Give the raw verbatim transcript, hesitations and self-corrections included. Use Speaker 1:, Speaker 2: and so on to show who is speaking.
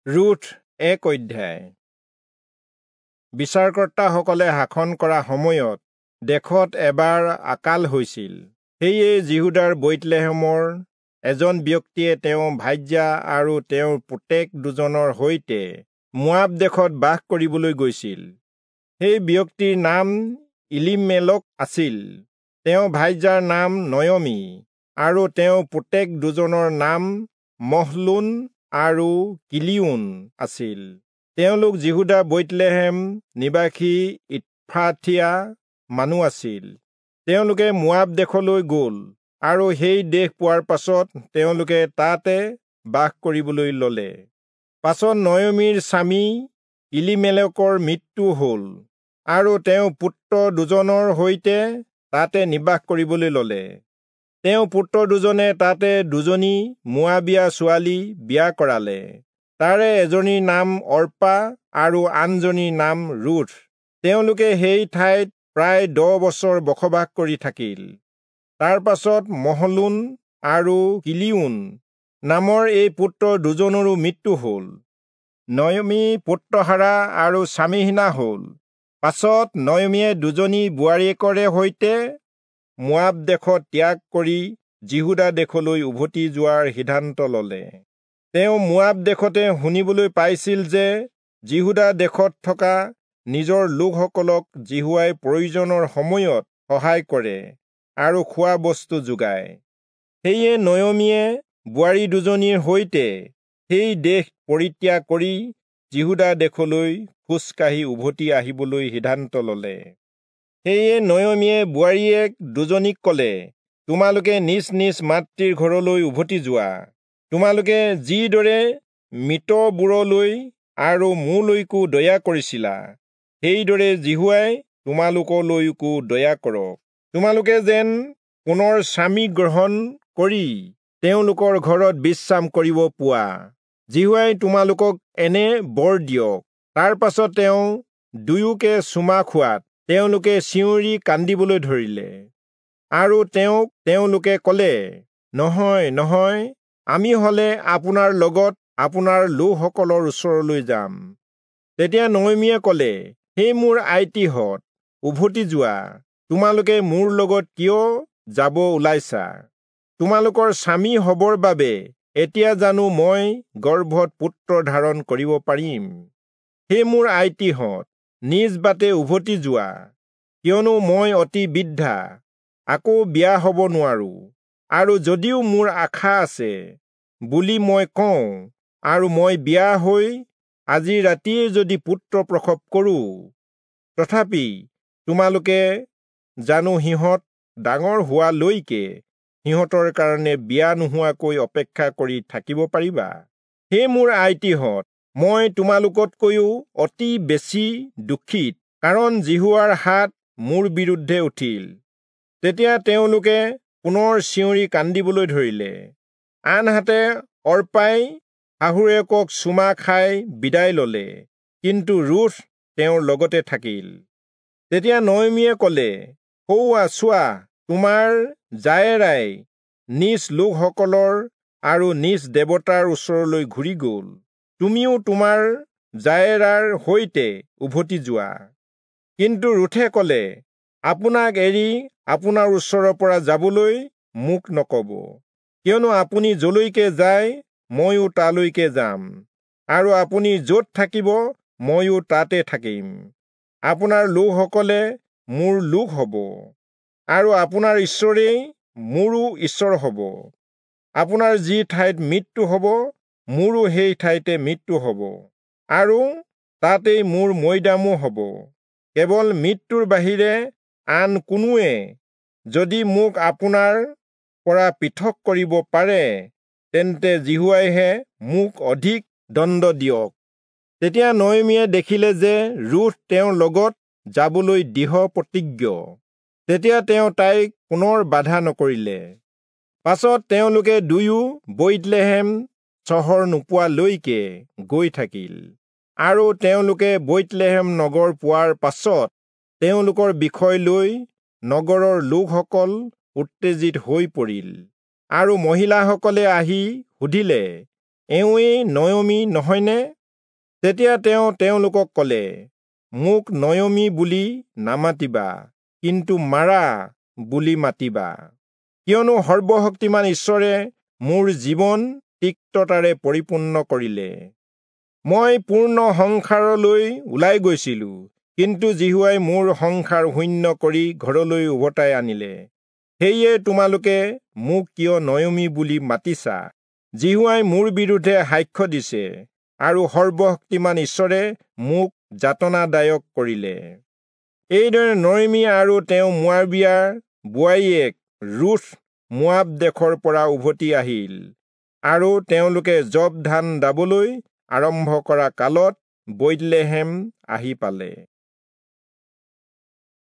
Speaker 1: Ruth এক অধ্যায়। বিচাৰকৰ্তাসকলে শাসন কৰা সময়ত দেশত এবাৰ আকাল হৈছিল। সেয়ে যিহূদাৰ বৈৎলেহেমৰ এজন ব্যক্তিয়ে তেওঁ ভাৰ্যা আৰু তেওঁৰ পুতেক দুজনৰ সৈতে মোৱাব দেশত বাস কৰিবলৈ গৈছিল। সেই ব্যক্তিৰ নাম ইলিমেলক আছিল, তেওঁ ভাৰ্যাৰ নাম নয়মী আৰু তেওঁ পুতেক দুজনৰ নাম মহলোন আৰু কিলিয়োন আছিল। তেওঁলোক যিহূদা বৈৎলেহেম নিবাসী ইফ্ৰাথীয়া মানুহ আছিল। তেওঁলোকে মোৱাব দেশলৈ গ'ল আৰু সেই দেশ পোৱাৰ পাছত তেওঁলোকে তাতে বাস কৰিবলৈ ললে। পাছত নয়মীৰ স্বামী ইলিমেলকৰ মৃত্যু হ'ল আৰু তেওঁ পুত্ৰ দুজনৰ সৈতে তাতে নিবাস কৰিবলৈ ললে। তেওঁ পুত্ৰ দুজনে তাতে দুজনী মোৱাবীয়া ছোৱালী বিয়া কৰালে। তাৰে এজনীৰ নাম অৰ্পা আৰু আনজনীৰ নাম ৰুথ। তেওঁলোকে সেই ঠাইত প্ৰায় দহ বছৰ বসবাস কৰি থাকিল। তাৰ পাছত মহলোন আৰু কিলিয়োন নামৰ এই পুত্ৰ দুজনৰো মৃত্যু হ'ল। নয়মী পুত্ৰহাৰা আৰু স্বামীহীনা হ'ল। পাছত নয়মীয়ে দুজনী বোৱাৰীয়েকৰে সৈতে মোৱাব দেশত ত্যাগ কৰি যিহূদা দেশলৈ উভতি যোৱাৰ সিদ্ধান্ত ললে। তেওঁ মোৱাব দেশতে শুনিবলৈ পাইছিল যে যিহূদা দেশত থকা নিজৰ লোকসকলক যিহোৱাই প্ৰয়োজনৰ সময়ত সহায় কৰে আৰু খোৱা বস্তু যোগায়। সেয়ে নয়মীয়ে বোৱাৰী দুজনীৰ সৈতে সেই দেশ পৰিত্যাগ কৰি যিহূদা দেশলৈ খোজকাঢ়ি উভতি আহিবলৈ সিদ্ধান্ত ললে। সেয়ে নয়মীয়ে বোৱাৰীয়েক দুজনীক কলে, তোমালোকে নিজ নিজ মাতৃৰ ঘৰলৈ উভতি যোৱা। তোমালোকে যিদৰে মৃতবোৰলৈ আৰু মোলৈকো দয়া কৰিছিলা, সেইদৰে যিহোৱাই তোমালোকলৈকো দয়া কৰক। তোমালোকে যেন পুনৰ স্বামী গ্ৰহণ কৰি তেওঁলোকৰ ঘৰত বিশ্ৰাম কৰিব পোৱা। যিহোৱাই তোমালোকক এনে বৰ দিয়ক। তাৰ পাছত তেওঁ দুয়োকে চুমা খোৱাত তেওঁলোকে চিঞৰি কান্দিবলৈ ধৰিলে। আৰু তেওঁক তেওঁলোকে কলে, নহয় নহয়, আমি হলে আপোনাৰ লগত আপোনাৰ লোকসকলৰ ওচৰলৈ যাম। তেতিয়া নয়মীয়ে কলে, হে মোৰ আইটিহঁত, উভতি যোৱা। তোমালোকে মোৰ লগত কিয় যাব ওলাইছা? তোমালোকৰ স্বামী হবৰ বাবে এতিয়া জানো মই গৰ্ভত পুত্ৰ ধাৰণ কৰিব পাৰিম? হে মোৰ আইটিহঁত, নিজ বাটে উভতি যোৱা, কিয়নো মই অতি বৃদ্ধা, আকৌ বিয়া হব নোৱাৰো। আৰু যদিও মোৰ আশা আছে বুলি মই কওঁ, আৰু মই বিয়া হৈ আজি ৰাতিয়ে যদি পুত্ৰ প্ৰসৱ কৰোঁ, তথাপি তোমালোকে জানো সিহঁত ডাঙৰ হোৱালৈকে সিহঁতৰ কাৰণে বিয়া নোহোৱাকৈ অপেক্ষা কৰি থাকিব পাৰিবা? হে মোৰ আইটিহঁত, মই তোমালোকতকৈও অতি বেছি দুখিত, কাৰণ যিহোৱাৰ হাত মোৰ বিৰুদ্ধে উঠিল। তেতিয়া তেওঁলোকে পুনৰ চিঞৰি কান্দিবলৈ ধৰিলে। আনহাতে অৰ্পাই শাহুৱেকক চুমা খাই বিদায় ললে, কিন্তু ৰুথ তেওঁৰ লগতে থাকিল। তেতিয়া নয়মীয়ে কলে, সৌৱা চোৱা, তোমাৰ জায়েৰাই নিজ লোকসকলৰ আৰু নিজ দেৱতাৰ ওচৰলৈ ঘূৰি গ'ল। তুমিও তোমাৰ জায়েৰাৰ সৈতে উভতি যোৱা। কিন্তু ৰুথে কলে, আপোনাক এৰি আপোনাৰ ওচৰৰ পৰা যাবলৈ মোক নকব, কিয়নো আপুনি যলৈকে যায় ময়ো তালৈকে যাম, আৰু আপুনি য'ত থাকিব ময়ো তাতে থাকিম। আপোনাৰ লোকসকলে মোৰ লোক হ'ব, আৰু আপোনাৰ ঈশ্বৰেই মোৰো ঈশ্বৰ হ'ব। আপোনাৰ যি ঠাইত মৃত্যু হ'ব, মোৰো সেই ঠাইতে মৃত্যু হ'ব, আৰু তাতেই মোৰ মৈদামো হ'ব। কেৱল মৃত্যুৰ বাহিৰে আন কোনোৱে যদি মোক আপোনাৰ পৰা পৃথক কৰিব পাৰে, তেন্তে যিহোৱাইহে মোক অধিক দণ্ড দিয়ক। তেতিয়া নয়মীয়ে দেখিলে যে ৰুথ তেওঁৰ লগত যাবলৈ দৃঢ় প্ৰতিজ্ঞ। তেতিয়া তেওঁ তাইক পুনৰ বাধা নকৰিলে। পাছত তেওঁলোকে দুয়ো বৈৎলেহেম চহৰ নোপোৱালৈকে গৈ থাকিল। আৰু তেওঁলোকে বৈৎলেহেম নগৰ পোৱাৰ পাছত তেওঁলোকৰ বিষয় লৈ নগৰৰ লোকসকল উত্তেজিত হৈ পৰিল। আৰু মহিলাসকলে আহি সুধিলে, এওঁৱেই নয়মী নহয়নে? তেতিয়া তেওঁ তেওঁলোকক কলে, মোক নয়মী বুলি নামাতিবা, কিন্তু মাৰা বুলি মাতিবা, কিয়নো সৰ্বশক্তিমান ঈশ্বৰে মোৰ জীৱন তিক্ততাৰে পৰিপূৰ্ণ কৰিলে। মই পূৰ্ণ সংসাৰলৈ ওলাই গৈছিলো, কিন্তু যিহোৱাই মোৰ সংসাৰ শূন্য কৰি ঘৰলৈ উভতাই আনিলে। সেয়ে তোমালোকে মোক কিয় নয়মী বুলি মাতিছা? যিহোৱাই মোৰ বিৰুদ্ধে সাক্ষ্য দিছে আৰু সৰ্বশক্তিমান ঈশ্বৰে মোক যাতনাদায়ক কৰিলে। এইদৰে নয়মী আৰু তেওঁ মোৱাবিয়াৰ বোৱাৰীয়েক ৰুথ মোৱাব দেশৰ পৰা উভতি আহিল আৰু তেওঁলোকে যৱ ধান দাবলৈ আৰম্ভ কৰা কালত বৈৎলেহেম আহি পালে।